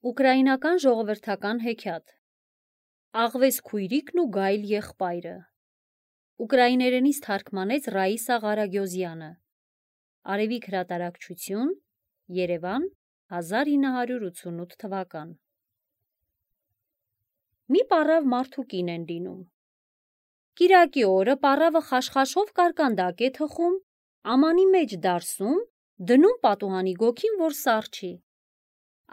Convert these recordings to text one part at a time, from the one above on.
Ուկրաինական ժողովրդական հեքիաթ Աղվես քույրիկն ու գայլ եղբայրը Ուկրաիներենից թարգմանեց Ռաիսա Ղարագյոզյանը Արևիկ հրատարակչություն Երևան 1988 թվական Մի պառավ մարդու կին են լինում Կիրակի օրը պառավը խաշխաշով կարկանդակ է թխում ամանի մեջ դարսում դնում պատուհանի գոգին որ սառչի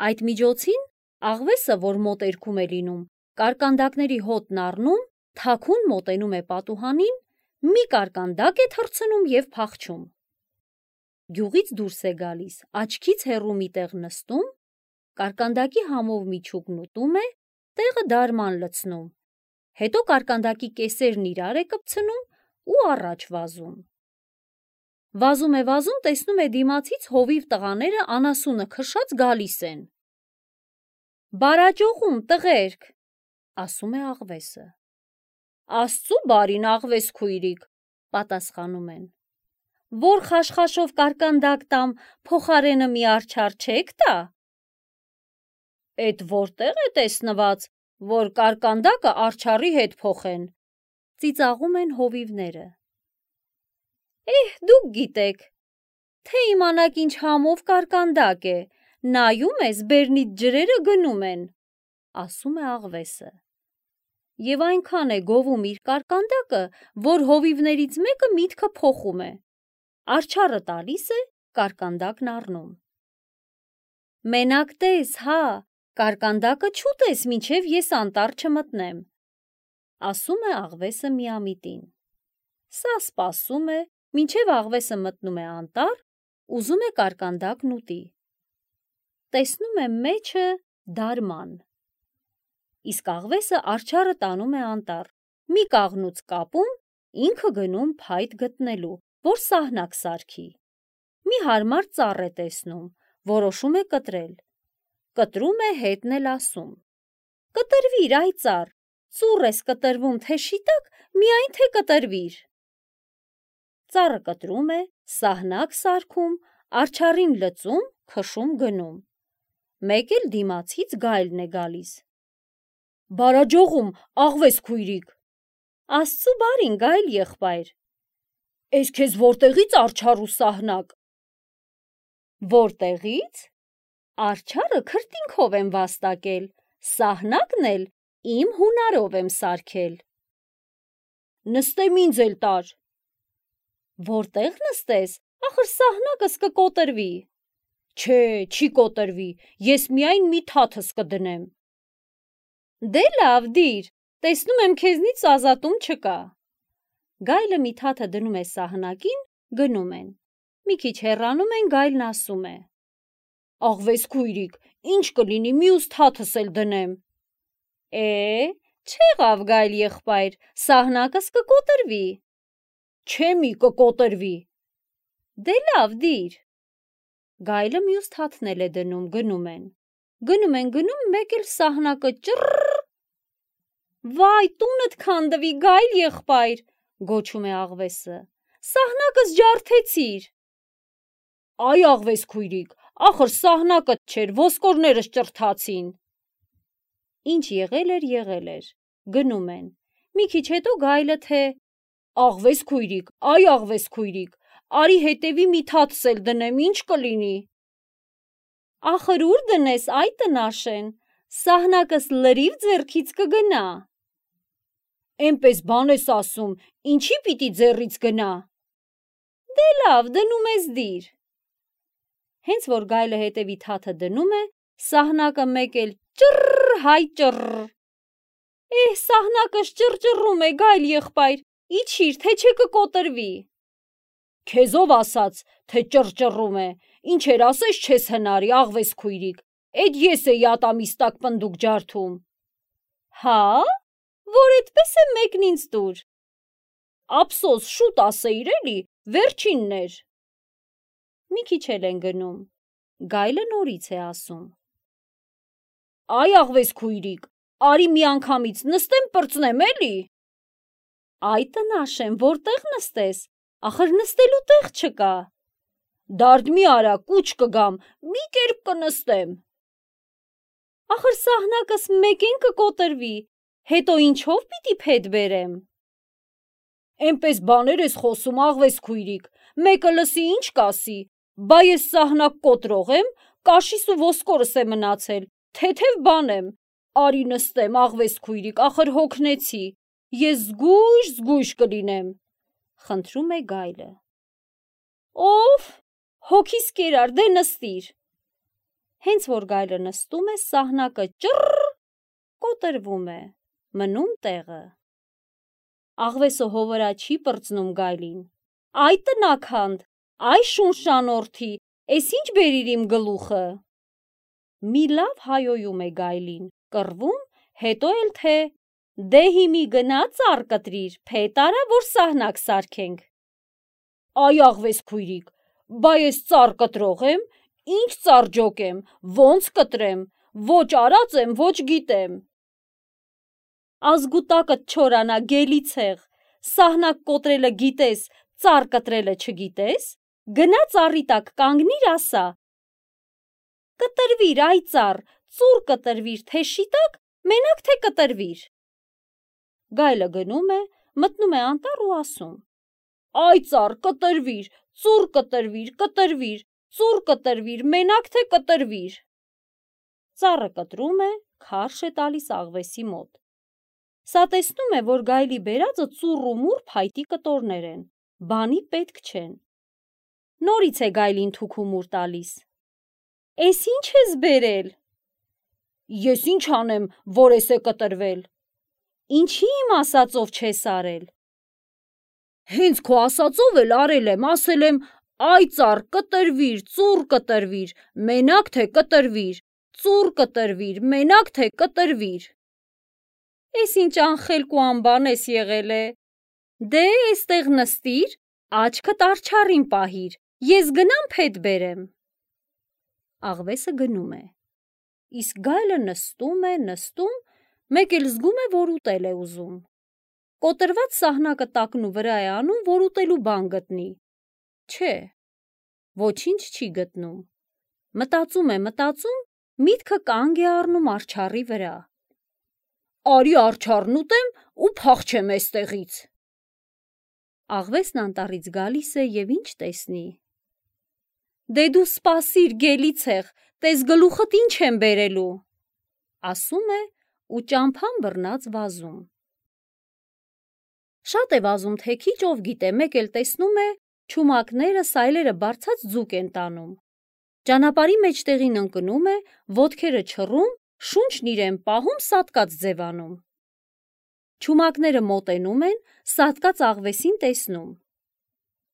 Այդ միջոցին աղվեսը, որ մոտերքում է լինում, կարկանդակների հոտն առնում, թաքուն մոտենում է պատուհանին, մի կարկանդակ է թռցնում և փախչում։ Գյուղից դուրս է գալիս, աչքից հեռու մի տեղ նստում, կարկանդակի համով միջուկն ուտում է, տեղը դարման լցնում, հետո կարկանդակի կեսերն իրար է կպցնում ու առաջ վազում։ Վազում, տեսնում է դիմացից հովիվ տղաները անասունը քշած գալիս են։ Բարաջողում տղերք, ասում է աղվեսը։ Աստծու բարին աղվես քույրիկ, պատասխանում են։ Որ խաշխաշով կարկանդակ տամ, փոխարենը մի արջար չեք տա։ Էդ որտեղ է տեսնված, որ կարկանդակը արջարի հետ փոխեն, ծիծաղում են հովիվները։ Դուք գիտեք, թե իմանաք ինչ համով կարկանդակ է, նայում ես բերնիդ ջրերը գնում են, ասում է աղվեսը։ Եվ այնքան է գովում իր կարկանդակը, որ հովիվներից մեկը միտքը փոխում է։ Արջարը տալիս է, կարկանդակն առնում։ Մենակ տես, հա, կարկանդակը չուտես, մինչև ես անտառ չմտնեմ, ասում է աղվեսը միամիտին։ Սա սպասում է, մինչև աղվեսը մտնում է անտառ, ուզում է կարկանդակն ուտի։ Տեսնում է մեջը դարման։ Իսկ աղվեսը արջարը տանում է անտառ, մի կաղնուց կապում, ինքը գնում փայտ գտնելու, որ սահնակ սարքի։ Մի հարմար ծառ է տեսնում, որոշում է կտրել։ Կտրում է, հետն էլ ասում. Կտրվիր, այ ծառ, ծուռ ես կտրվում, թե շիտակ, միայն թե կտրվիր։ Ծառը կտրում է, սահնակ սարքում, արջարին լծում, քշում գնում։ Մեկ էլ դիմացից գայլն է գալիս։ Բարաջողում, աղվես քույրիկ։ Աստծու բարին գայլ եղբայր։ Էս քեզ որտեղից արջար ու սահնակ։ Որտեղից։ Արջարը քրտինքով եմ վաստակել, սահնակն էլ իմ հունարով եմ սարքել։ Նստեմ ինձ էլ տար։ Որտեղ նստես, ախր սահնակս կկոտրվի։ Չէ, չի կոտրվի, ես միայն մի թաթս կդնեմ։ Դե լավ դիր, տեսնում եմ քեզնից ազատում չկա։ Գայլը մի թաթը դնում է սահնակին, գնում են։ Մի քիչ հեռանում են, գայլն ասում է. Աղվես քույրիկ, ինչ կլինի, մյուս թաթս էլ դնեմ։ Չեղավ գայլ եղբայր, սահնակս կկոտրվի։ Չէ մի կկոտրվի։ Դե լավ դիր։ Գայլը մյուս թաթն էլ է դնում, գնում են։ Գնում, մեկ էլ սահնակը ճռռ։ Վայ, տունդ քանդվի, գայլ եղբայր, գոչում է աղվեսը։ Սահնակս ջարդեցիր։ Այ աղվես քույրիկ, ախր սահնակդ չէր, ոսկորներս ճռթացին։ Ինչ եղել էր, գնում են։ Մի քիչ հետո գայլը թե. Աղվես քույրիկ, այ աղվես քույրիկ, արի հետևի մի թաթս էլ դնեմ, ինչ կլինի։ Ախր ուր դնես, այ տնաշեն, սահնակս լրիվ ձեռքից կգնա։ Էնպես բան ես ասում, ինչի պիտի ձեռից գնա։ Դե լավ, դնում ես դիր։ Հենց որ գայլը հետևի թաթը դնում է, սահնակը մեկ էլ ճռռ, հայ ճռռ։ Սահնակս ճռճռում է, գայլ եղբայր, իջիր, թե չէ կկոտրվի։ Քեզով ասաց, թե ճռճռում է, ինչեր ասես չես հնարի, աղվես քույրիկ, էդ ես էի ատամիստակ պնդուկ ջարդում։ Հա, որ էդպես է մեկն ինձ տուր։ Ափսոս, շուտ ասեիր էլի, վերջինն էր։ Մի քիչ էլ են գնում, գայլը նորից է ասում. Այ աղվես քույրիկ, արի մի անգամից նստեմ պրծնեմ էլի։ Այ տնաշեն, որտեղ նստես, ախր նստելու տեղ չկա։ Դարդ մի արա, կուչ կգամ, մի կերպ կնստեմ։ Ախր սահնակս մեկեն կկոտրվի, հետո ինչով պիտի փետ բերեմ։ Էնպես բաներ ես խոսում, աղվես քույրիկ, մեկը լսի ինչ կասի, բա ես սահնակ կոտրող եմ, կաշիս ու ոսկորս է մնացել, թեթև բան եմ, արի նստեմ, աղվես քույրիկ, ախր հոգնեցի, ես զգույշ կլինեմ, խնդրում է գայլը։ Ով, հոգիս կերար, դե նստիր։ Հենց որ գայլը նստում է, սահնակը ճռ կոտրվում է, մնում տեղը։ Աղվեսը հովրա չի պրծնում գայլին։ Այ տնաքանդ, այ շունշանորդի, էս ինչ բերիր իմ գլուխը։ Մի լավ հայոյում է գայլին, կռվում, հետո էլ թե դե հիմի գնա ծառ կտրիր, փետ արա, որ սահնակ սարքենք։ Այ աղվես քույրիկ, բա ես ծառ կտրող եմ, ինչ ծառ ջոկեմ, ոնց կտրեմ, ոչ արած եմ, ոչ գիտեմ։ Ազգուտակդ չորանա, գելի ցեղ, սահնակ կոտրելը գիտես, ծառ կտրելը չգիտես, գնա ծառի տակ կանգնիր, ասա. կտրվիր, այ ծառ, ծուռ կտրվիր, թե շիտակ, մենակ թե կտրվիր։ Գայլը գնում է, մտնում է անտառ ու ասում. Այ ծառ, կտրվիր, ծուռ կտրվիր, կտրվիր, ծուռ կտրվիր, մենակ թե կտրվիր։ Ծառը կտրում է, քարշ է տալիս աղվեսի մոտ։ Սա տեսնում է, որ գայլի բերածը ծուռ ու մուռ փայտի կտորներ են, բանի պետք չեն։ Նորից է գայլին թուք ու մուռ տալիս։ Էս ինչ ես բերել։ Ես ինչ անեմ, որ էս է կտրվել։ Ինչի իմ ասածով չես արել։ Հենց քո ասածով էլ արել եմ, ասել եմ, այ ծառ, կտրվիր, ծուռ կտրվիր, մենակ թե կտրվիր, ծուռ կտրվիր, մենակ թե կտրվիր։ Էս ինչ անխելք ու անբան ես եղել է։ Դե էստեղ նստիր, աչքդ արջառին պահիր, ես գնամ փետ բերեմ։ Աղվեսը գնում է։ Իսկ գայլը նստում է, մեկ էլ զգում է, որ ուտել է ուզում։ Կոտրված սահնակը տակնու վրա է անում, որ ուտելու բան գտնի։ Չէ, ոչինչ չի գտնում։ Մտածում է, միտքը կանգ է առնում արջառի վրա։ Արի արջառն ուտեմ ու փախչեմ էստեղից։ Աղվեսն անտառից գալիս է եւ ինչ տեսնի։ Դե դու սպասիր, գելի ցեղ, տես գլուխդ ինչ եմ բերելու, ասում է ու ճամփան բռնած վազում։ Շատ է վազում, թե քիչ, ով գիտե, մեկ էլ տեսնում է չումակները, սայլերը բարձած ձուկ են տանում։ Ճանապարհի մեջտեղին ընկնում է, ոտքերը չռում, շունչն իրեն պահում, սատկած ձևանում։ Չումակները մոտենում են, սատկած աղվեսին տեսնում։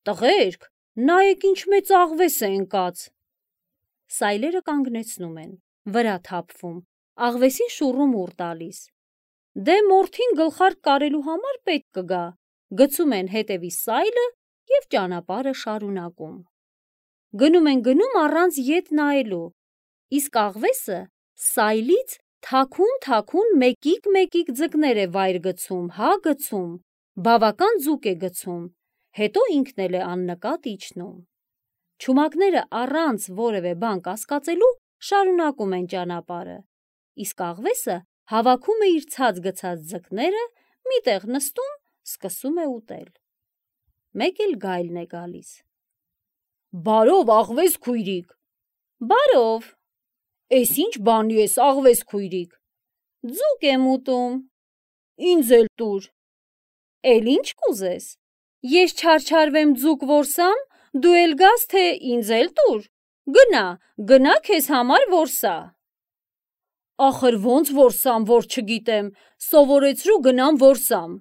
Տղերք, նայեք ինչ մեծ աղվես է ընկած։ Սայլերը կանգնեցնում են, վրա թափվում, աղվեսին շուռում ուռ տալիս։ Դե մորթին գլխարկ կարելու համար պետք կգա, գցում են հետևի սայլը և ճանապարհը շարունակում։ Գնում են առանց ետ նայելու, իսկ աղվեսը սայլից թաքուն մեկիկ ձկներ է վայր գցում, հա գցում, բավական ձուկ է գցում, հետո ինքն էլ է աննկատ իջնում։ Չումակները առանց որևէ բան կասկածելու շարունակում են ճանապարհը, իսկ աղվեսը հավաքում է իր ցած գցած ձկները, մի տեղ նստում, սկսում է ուտել։ Մեկ էլ գայլն է գալիս։ Բարով, աղվես քույրիկ։ Բարով։ Էս ինչ բանի ես, աղվես քույրիկ։ Ձուկ եմ ուտում։ Ինձ էլ տուր։ Էլ ինչ կուզես։ Ես չարչարվեմ ձուկ որսամ, դու էլ գաս, թե ինձ էլ տուր։ Գնա քեզ համար որսա։ Ախր ոնց որսամ, որ չգիտեմ, սովորեցրու գնամ որսամ։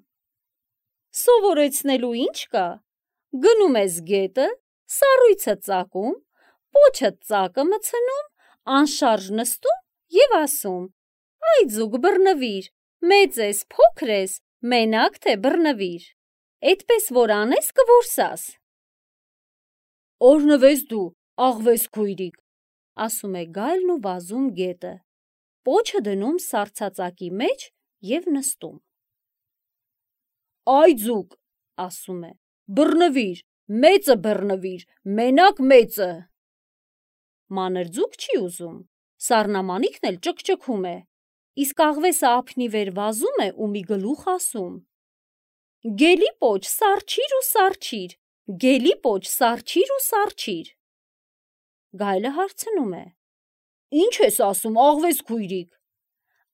Սովորեցնելու ինչ կա։ Գնում ես գետը, սառույցը ծակում, պոչդ ծակը մցնում, անշարժ նստում և ասում. այ ձուկ բռնվիր, մեծ ես, փոքր ես, մենակ թե բռնվիր, էդպես որ անես կորսաս։ Օրհնվես դու, աղվես քույրիկ, ասում է գայլն ու վազում գետը, պոչը դնում սառցածակի մեջ և նստում։ Այ ձուկ, ասում է, բռնվիր, մեծը բռնվիր, մենակ մեծը։ Մանր ձուկ չի ուզում, Սառնամանիքն էլ ճկճկում է, իսկ աղվեսը ափնի վեր վազում է ու մի գլուխ ասում. «Գելի պոչ, սառչիր ու սառչիր, գելի պոչ, սառչիր ու սառչիր»։ Գայլը հարցնում է. «Ինչ ես ասում, աղվես քույրիկ»։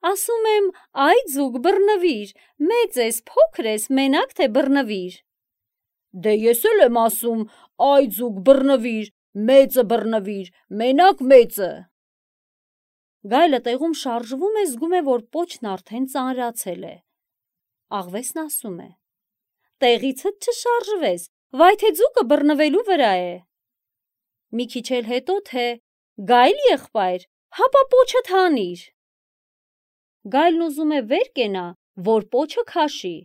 Ասում եմ, այ ձուկ բռնվիր, մեծ ես, փոքր ես, մենակ թե բռնվիր։ Դե ես էլ եմ ասում, այ ձուկ բռնվիր, մեծը բռնվիր, մենակ մեծը։ Գայլը տեղում շարժվում է, զգում է, որ պոչն արդեն ծանրացել է։ Աղվեսն ասում է. «Տեղիցդ չշարժվես, վայ թե ձուկը բռնվելու վրա է»։ Մի քիչ էլ հետո թե. «Գայլ եղբայր, հապա պոչդ հանիր»։ Գայլն ուզում է վեր կենա, որ պոչը քաշի,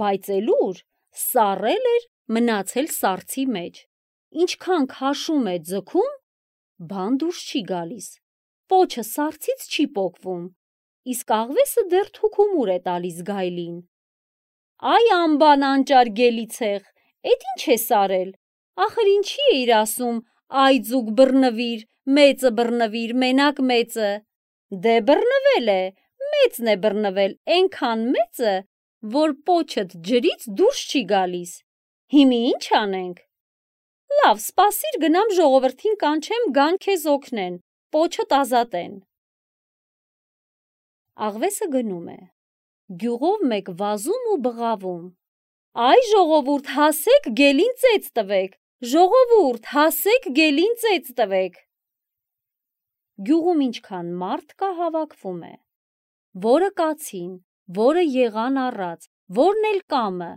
բայց էլ ուր, սառել էր մնացել սառցի մեջ, ինչքան քաշում է ձգում, բան դուրս չի գալիս, պոչը սառցից չի պոկվում, իսկ աղվեսը դեռ թուքումուր է տալիս գայլին։ Այ անբան անճար գելիցեղ, էդ ինչ ես արել, ախր ինչի էիր ասում, այ ձուկ բռնվիր, մեծը բռնվիր, մենակ մեծը։ Դե բռնվել է, մեծն է բռնվել, էնքան մեծը, որ պոչդ ջրից դուրս չի գալիս։ Հիմի ինչ անենք։ Լավ, սպասիր գնամ ժողովրդին կանչեմ գան քեզ օգնեն, պոչդ ազատեն։ Աղվեսը գնում է, գյուղով մեկ վազում ու բղավում. Այ ժողովուրդ, հասեք գելին ծեծ տվեք, ժողովուրդ, հասեք գելին ծեծ տվեք։ Գյուղում ինչքան մարդ կա, հավաքվում է, որը կացին, որը եղան առած, որն էլ կամը,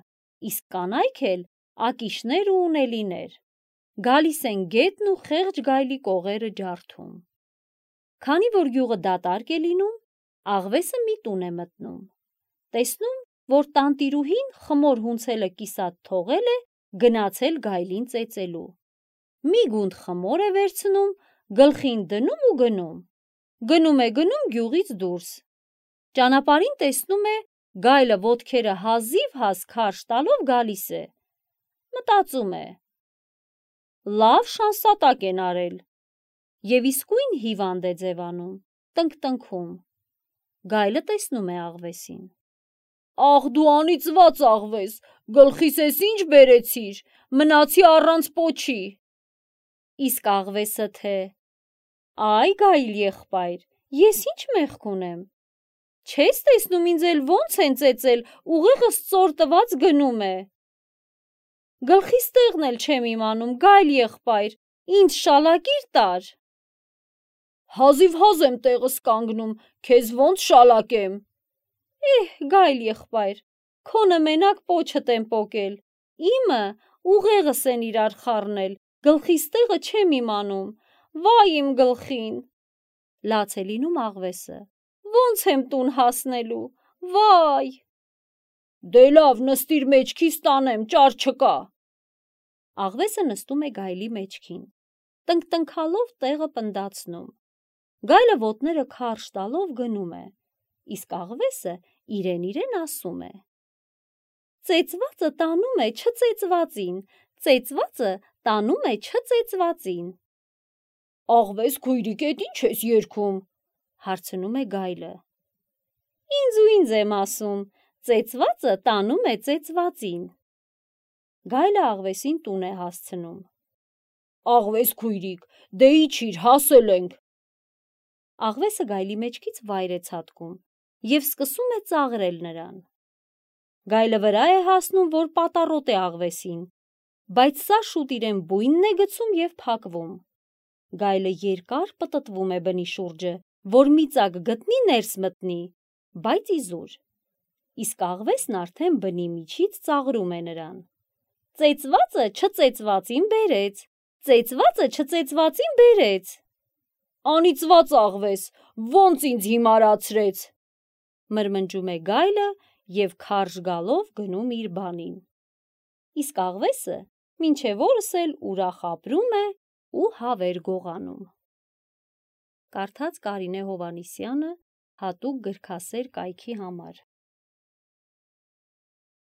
իսկ կանայք էլ ակիշներ ու ունելիներ, գալիս են գետն ու խեղճ գայլի կողերը ջարդում։ Քանի որ գյուղը դատարկ է լինում, աղվեսը մի տուն է մտնում, տեսնում, որ տանտիրուհին խմոր հունցելը կիսատ թողել է, գնացել գայլին ծեծելու։ Մի գունդ խմոր է վերցնում, գլխին դնում ու գնում։ Գնում է գյուղից դուրս։ Ճանապարհին տեսնում է, գայլը ոտքերը հազիվ հաս քարշ տալով գալիս է։ Մտածում է. լավ շանսատակ են արել։ Եվ իսկույն հիվանդ է ձևանում, տնկտնքում։ Գայլը տեսնում է աղվեսին. Աղ դու անիծված աղվես, գլխիս ես ինչ բերեցիր, մնացի առանց պոչի։ Իսկ աղվեսը թե. Այ գայլ եղբայր, ես ինչ մեղք ունեմ։ Չես տեսնում ինձ էլ ոնց են ծեծել, ուղեղս ծոր տված գնում է։ Գլխիս տեղն էլ չեմ իմանում, գայլ եղբայր, ինձ շալակիր տար։ Հազիվ հազ եմ տեղս կանգնում, քեզ ոնց շալակեմ։ Գայլ եղբայր, քոնը մենակ պոչդ եմ պոկել, իմը ուղեղս են իրար խառնել, գլխիս տեղը չեմ իմանում, վայ իմ գլխին։ Լաց է լինում աղվեսը, ոնց եմ տուն հասնելու, վայ։ Դե լավ, նստիր մեջքիս տանեմ, ճար չկա։ Աղվեսը նստում է գայլի մեջքին, տնկտնքալով տեղը պնդացնում։ Գայլը ոտները քարշ տալով գնում է, իսկ աղվեսը իրեն ասում է. Ծեծվածը տանում է չծեծվածին, ծեծվածը տանում է չծեծվածին։ Աղվես քույրիկ, էդ ինչ ես երգում, հարցնում է գայլը։ Ինձ եմ ասում, ծեծվածը տանում է ծեծվածին։ Գայլը աղվեսին տուն է հասցնում։ Աղվես քույրիկ, դե իջիր, հասել ենք։ Աղվեսը գայլի մեջքից վայր է ցատկում և սկսում է ծաղրել նրան։ Գայլը վրա է հասնում, որ պատառոտ է աղվեսին, բայց սա շուտ իրեն բույնն է գցում և փակվում։ Գայլը երկար պտտվում է բնի շուրջը, որ մի ծակ գտնի ներս մտնի, բայց իզուր։ Իսկ աղվեսն արդեն բնի միջից ծաղրում է նրան։ Ծեծվածը չծեծվածին բերեց, ծեծվածը չծեծվածին բերեց։ Անիծված աղվես, ոնց ինձ հիմարացրեց, մրմնջում է գայլը և քարշ գալով գնում իր բանին։ Իսկ աղվեսը մինչև օրս էլ ուրախ ապրում է ու հավեր գողանում։ Կարդաց Կարինե Հովհաննիսյանը հատուկ գրքասեր կայքի համար։